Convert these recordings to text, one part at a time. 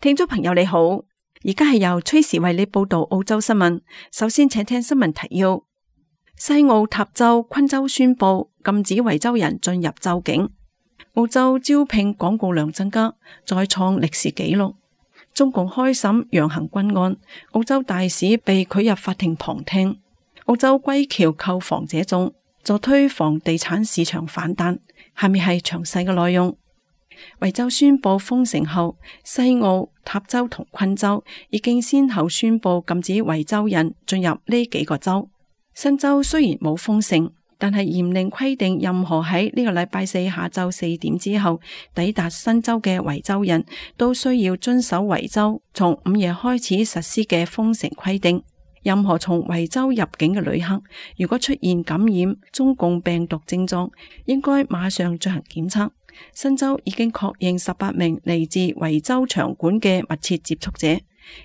聽眾朋友你好，而家係由崔時為你報道澳洲新聞。首先請聽新聞提要：西澳塔州昆州宣布禁止維州人進入州境。澳洲招聘廣告量增加，再創歷史紀錄。中共開審楊行軍案，澳洲大使被拒入法庭旁聽。澳洲歸僑購房者眾，助推房地產市場反彈。下面係詳細嘅內容。維州宣布封城後，西澳、塔州同昆州已經先後宣布禁止維州人進入呢幾個州。新州雖然冇封城，但係嚴令規定任何喺呢個禮拜四下晝4點之後抵達新州嘅維州人都需要遵守維州從午夜開始實施嘅封城規定。任何從維州入境嘅旅客，如果出現感染中共病毒症狀，應該馬上進行檢測。新州已經確認18名嚟自維州場館嘅密切接觸者，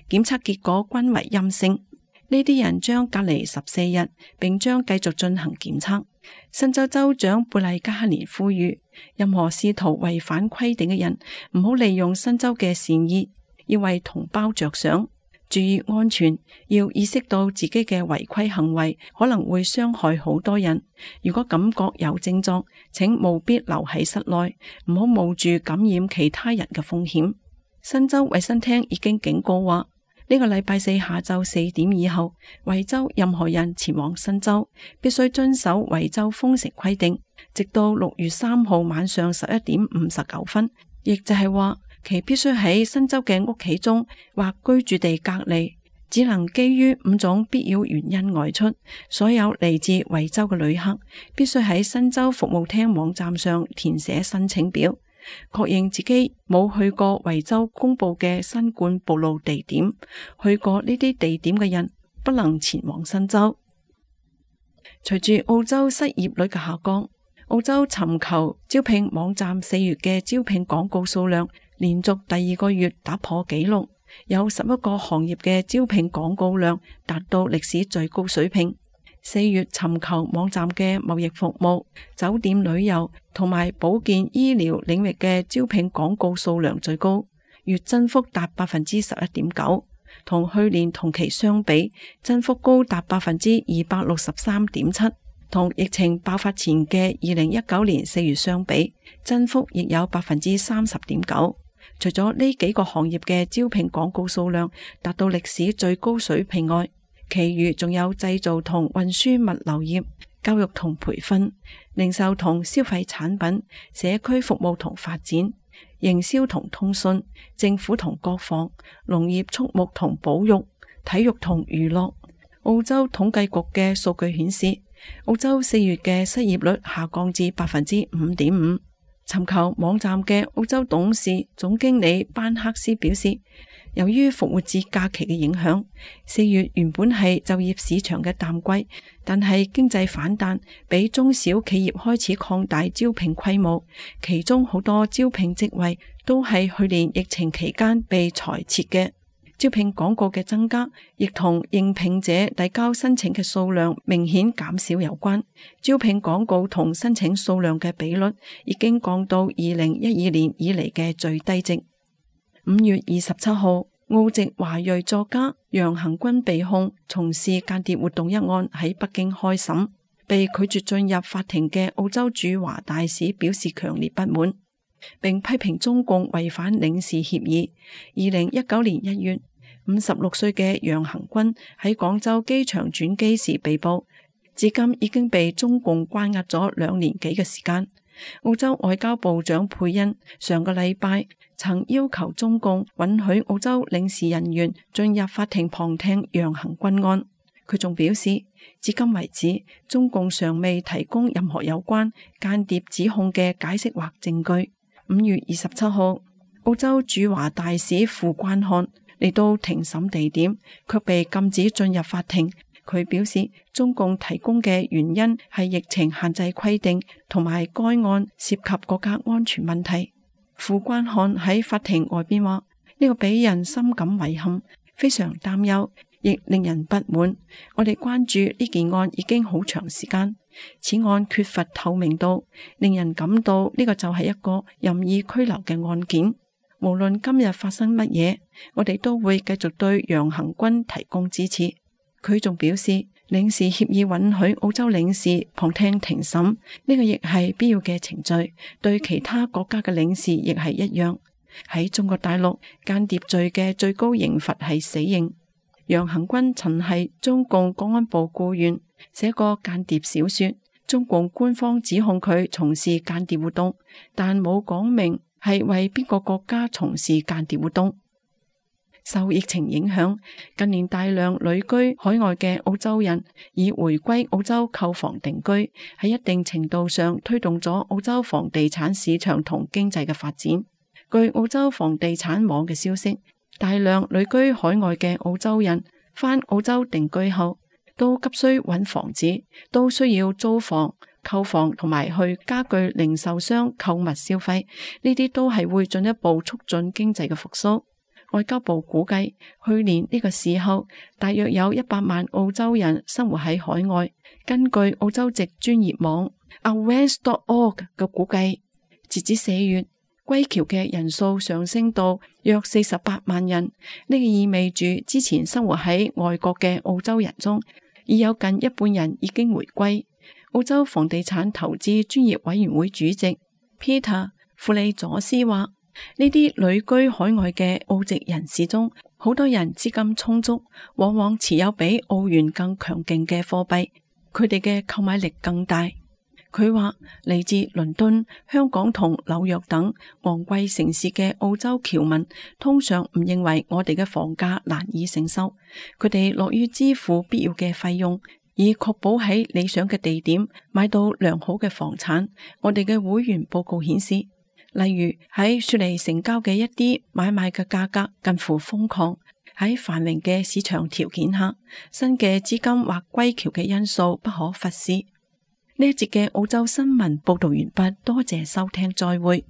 檢測結果均為陰性。呢啲人將隔離14日，並將繼續進行檢測。新州州長貝麗加克連呼籲，任何試圖違反規定嘅人，唔好利用新州嘅善意，要為同胞着想，注意安全，要意識到自己嘅違規行為可能會傷害好多人。如果感覺有症狀，請務必留喺室內，唔好冒住感染其他人嘅風險。新州衛生廳已經警告話，呢個禮拜四下晝4點以後，維州任何人前往新州必須遵守維州封城規定，直到6月3號晚上11點59分，亦就係話其必須喺新州嘅屋企中或居住地隔離，只能基於5種必要原因外出。所有嚟自維州嘅旅客必須喺新州服務廳網站上填寫申請表，確認自己冇去過維州公布嘅新冠暴露地點。去過呢啲地點嘅人不能前往新州。隨住澳洲失業率嘅下降，澳洲尋求招聘網站4月嘅招聘廣告數量連續第2個月打破紀錄，有11個行業嘅招聘廣告量達到歷史最高水平。4月尋求網站嘅貿易服務、酒店旅遊同埋保健醫療領域嘅招聘廣告數量最高，月增幅達 11.9%， 同去年同期相比，增幅高達 263.7%， 同疫情爆發前嘅2019年4月相比，增幅亦有 30.9%。除咗呢幾個行業嘅招聘廣告數量達到歷史最高水平外，其餘仲有製造同運輸物流業、教育同培訓、零售同消費產品、社區服務同發展、營銷同通訊、政府同國防、農業畜牧同保育、體育同娛樂。澳洲統計局嘅數據顯示，澳洲4月嘅失業率下降至 5.5%。尋求網站嘅澳洲董事總經理班克斯表示，由於復活節假期嘅影響，4月原本係就業市場嘅淡季，但係經濟反彈俾中小企業開始擴大招聘規模，其中好多招聘職位都係去年疫情期間被裁撤嘅。招聘廣告嘅增加，亦同應聘者遞交申請嘅數量明顯減少有關。招聘廣告同申請數量嘅比率已經降到2012年以嚟嘅最低值。5月27號，澳籍華裔作家楊行軍被控從事間諜活動一案喺北京開審，被拒絕進入法庭嘅澳洲駐華大使表示強烈不滿，並批評中共違反領事協議。2019年1月，56歲嘅楊行軍喺廣州機場轉機時被捕，至今已經被中共關押咗2年幾嘅時間。澳洲外交部長佩恩上個禮拜曾要求中共允許澳洲領事人員進入法庭旁聽楊行軍案。佢仲表示，至今為止，中共尚未提供任何有關間諜指控嘅解釋或證據。5月27號，澳洲駐華大使傅關漢嚟到庭審地點，卻被禁止進入法庭。佢表示，中共提供嘅原因係疫情限制規定，同埋該案涉及國家安全問題。傅關漢喺法庭外邊話：呢個俾人深感遺憾，非常擔憂，亦令人不滿。我哋關注呢件案已經好長時間，此案缺乏透明度，令人感到呢個就係一個任意拘留嘅案件。無論今日發生乜嘢，我哋都會繼續對楊恆均提供支持。佢仲表示，領事協議允許澳洲領事旁聽庭審，呢個亦係必要嘅程序，對其他國家嘅領事亦係一樣。喺中國大陸，間諜罪嘅最高刑罰係死刑。楊恆均曾係中共國安部僱員，寫過間諜小說。中共官方指控佢從事間諜活動，但冇講明係為邊個國家從事間諜活動。受疫情影響，近年大量旅居海外嘅澳洲人以回歸澳洲購房定居，喺一定程度上推動咗澳洲房地產市場同經濟嘅發展。據澳洲房地產網嘅消息，大量旅居海外嘅澳洲人返澳洲定居後，都急需揾房子，都需要租房、購房同埋去家具零售商購物消費，呢啲都係會進一步促進經濟嘅復甦。外交部估計，去年呢個時候，大約有100萬澳洲人生活喺海外。根據澳洲籍專業網 Awareness.org 嘅估計，截至4月，歸僑嘅人數上升到約48萬人。呢個意味住之前生活喺外國嘅澳洲人中，已有近一半人已經回歸。澳洲房地產投資專業委員會主席 Peter 庫利佐斯話，呢啲旅居海外嘅澳籍人士中，好多人資金充足，往往持有比澳元更強勁嘅貨幣，佢哋嘅購買力更大。佢話嚟自倫敦、香港同紐約等昂貴城市嘅澳洲僑民，通常唔認為我哋嘅房價難以承受，佢哋樂於支付必要嘅費用，以確保喺理想嘅地點買到良好嘅房產。我哋嘅會員報告顯示，例如喺雪梨成交嘅一啲買賣嘅價格近乎瘋狂。喺繁榮嘅市場條件下，新嘅資金或歸僑嘅因素不可忽視。呢一節嘅澳洲新聞報道完畢，多謝收聽，再會。